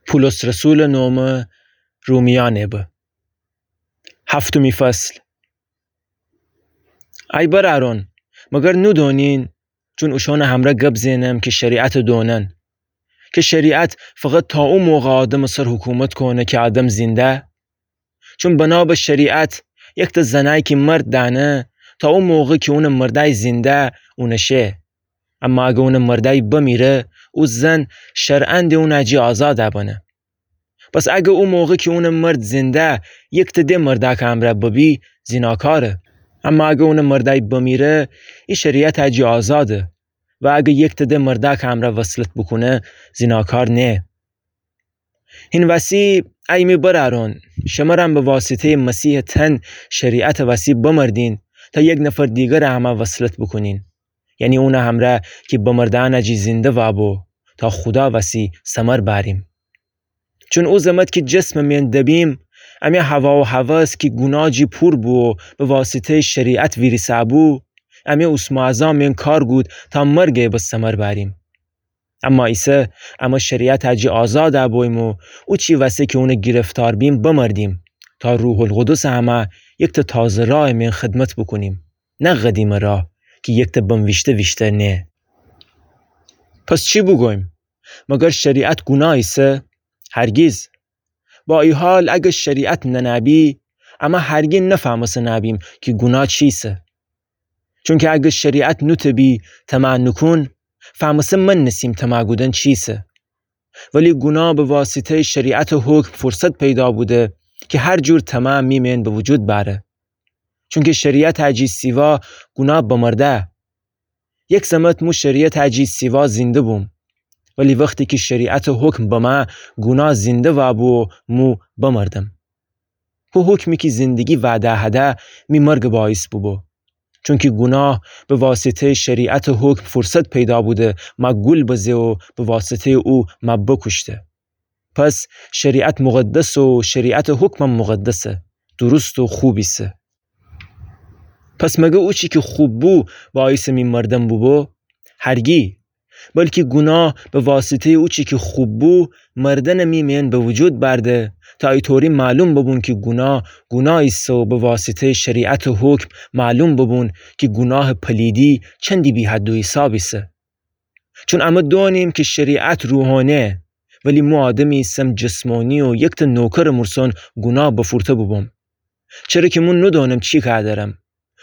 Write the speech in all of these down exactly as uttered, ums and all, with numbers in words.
پولس رسولٚ نومٚ رومیأنٚ به. هفتمی فصل. ای برأرأن، مگر نودونین، چون اوشأنٚ همرأ گب زئنم کی شریعتٚ دونن، کی شریعت فقط تا او موقع آدمٚ سر حکومت کونه کی آدم زینده؟ چون بنا به شریعت، یکته زنأی کی مرد دأنه، تا او موقع کی اونٚ مردأی زینده، اونٚ شه. اما اگر اونٚ مردأی بمیره، او زن شرعاً د اونٚ جی آزادَ بنه. پس اگر او موقع کی اونٚ مرد زینده، یکته د مردأکٚ همرأ ببی، زیناکاره. اما اگر اونٚ مردأی بمیره، ای شریعتٚ جی آزاده. و اگر یکته د مردأکٚ همرأ وصلت بوکونه، زیناکار نیه. هین وسی، ای می برأرأن، شمرم به واسطه‌یٚ مسیحٚ تن شریعتٚ وسی بمردین، تا یک نفر دیگرٚ همرأ وصلت بوکونین، یعنی اونٚ همرأ کی بمردأنٚ جی زینده وابو، تا خودا وسی ثمر بأریم. چون او زمت کی جسمٚ مئن دبیم، امی هوا و هوس کی گوناه جی پور بو و به واسطه‌یٚ شریعت ویریسه‌بو، امی اوسموعظا مئن کار گود تا مرگٚ عوض ثمر بأریم. اما ایسه امه شریعتٚ جی آزادَ بویم و اوچی وسه کی اونٚ گیرفتار بیم بمردیم، تا روح‌القدسٚ همرأ یکته تازه راهٚ مئن خدمت بوکونیم، نه قدیمٚ راه کی یکته بنویشته ویشتر نیه. پس چی بوگویم؟ مگر شریعت گوناه ایسه؟ هرگیز. با ای حال اگر شریعت ننه‌بی، امه هرگی نفهمسه‌نه‌بیم کی گوناه چیسه. چونکی اگر شریعت نوتبی طمع نوکون، فهمسه مننسیم طمع کودن چیسه. ولی گوناه به واسطه‌یٚ شریعتٚ حکم فرصت پیدا بوده کی هر جور طمع می مئن به وجود بأره. چونکی شریعتٚ جی سیوا گوناه بمرده. یک زمت مو شریعتٚ جی سیوا زینده بوم. ولی وختی کی شریعتٚ حکم بمه، گوناه زینده وابو و مو بمردم. هو حکمی کی زندگی وعده هده، می مرگٚ باعث بوبو. چونکی گوناه به واسطه‌یٚ شریعتٚ حکم فرصت پیدا بوده مه گول بزه و به واسطه‌یٚ او مه بوکوشته. پس شریعت مقدسه و شریعتٚ حکمم مقدسه، درست و خوب ایسه. پس مگر اوچی کی خوب بو باعثٚ می مردن بوبو؟ هرگی. بلکی گوناه به واسطه‌یٚ اوچی کی خوب بو، مردنٚ می مئن به وجود بأرده، تا ایطوری معلوم ببون کی گوناه، گوناه ایسه و به واسطه‌یٚ شریعتٚ حکم معلوم ببون کی گوناهٚ پلیدی چندی بی‌حد و حساب ایسه. چون امه دونیم کی شریعت روحانیه، ولی مو آدمی ایسم جسمانی و یکته نوکرٚ مورسون گوناه بفورته بوبوم. چره کی مو نودونم چی کار دأرم.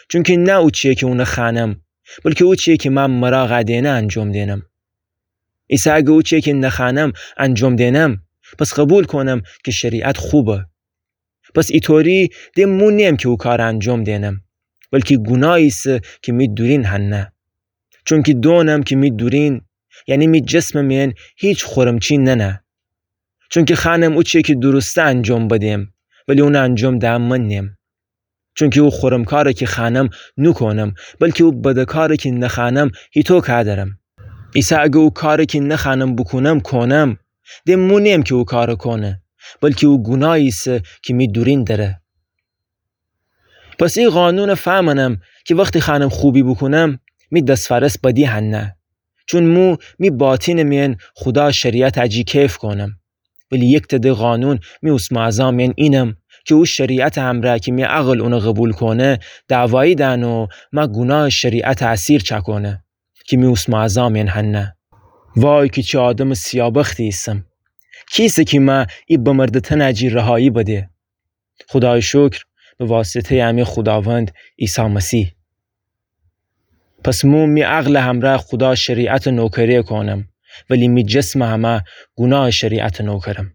چونکی نه اوچیه کی اونه خوأنم، بلکی اوچیه کی مه مراغ دئنه انجام دئنم. ایسه اگر اوچیه کی نخوأنم انجام دئنم، پس قبول کونم کی شریعت خوبه. پس ایطوری د مو نیم کی او کار انجام دئنم، بلکی گوناه ایسه کی می دورین هنه. چونکی دونم کی می دورین، یعنی می جسمٚ مئن هیچ خورمچی ننه. چونکی خوأنم اوچیه کی درسته انجام بدم، ولی اونه انجام دهن من نیم. چونکی او خورم کاره کی خوأنم نوکونم، بلکی او بده کاره کی نخوأنم هیتو کار دأرم. ایسه اگر او کاره کی نخوأنم بوکونم کونم، د مو نیم کی او کاره کونه، بلکی او گوناه ایسه کی می دورین دره. پس ای قانون فهمنم کی وختی خوأنم خوبی بوکونم، می دس‌فأرس بدی هنه. چون مو می باطنٚ مئن خودا شریعتٚ جی کیف کونم. ولی یکته د قانون می اوسمأزا مئن اینم کی او شریعتٚ همرأ کی می عقل اونه قبول کونه، دعوایی دأنه و مه گوناهٚ شریعتٚ اسیر چأکونه کی می اوسمأزا مئن هنه. وای کی چی آدمٚ سیابختی ایسم! کیسه کی مه ای بمرده تنٚ جی رهایی بده؟ خودایٚ شکر، به واسطه‌یٚ امی خوداوند عیسی مسیح. پس مو می عقلٚ همرأ خودا شریعتٚ نوکری کونم، ولی می جسمٚ همرأ گوناهٚ شریعتٚ نوکرم.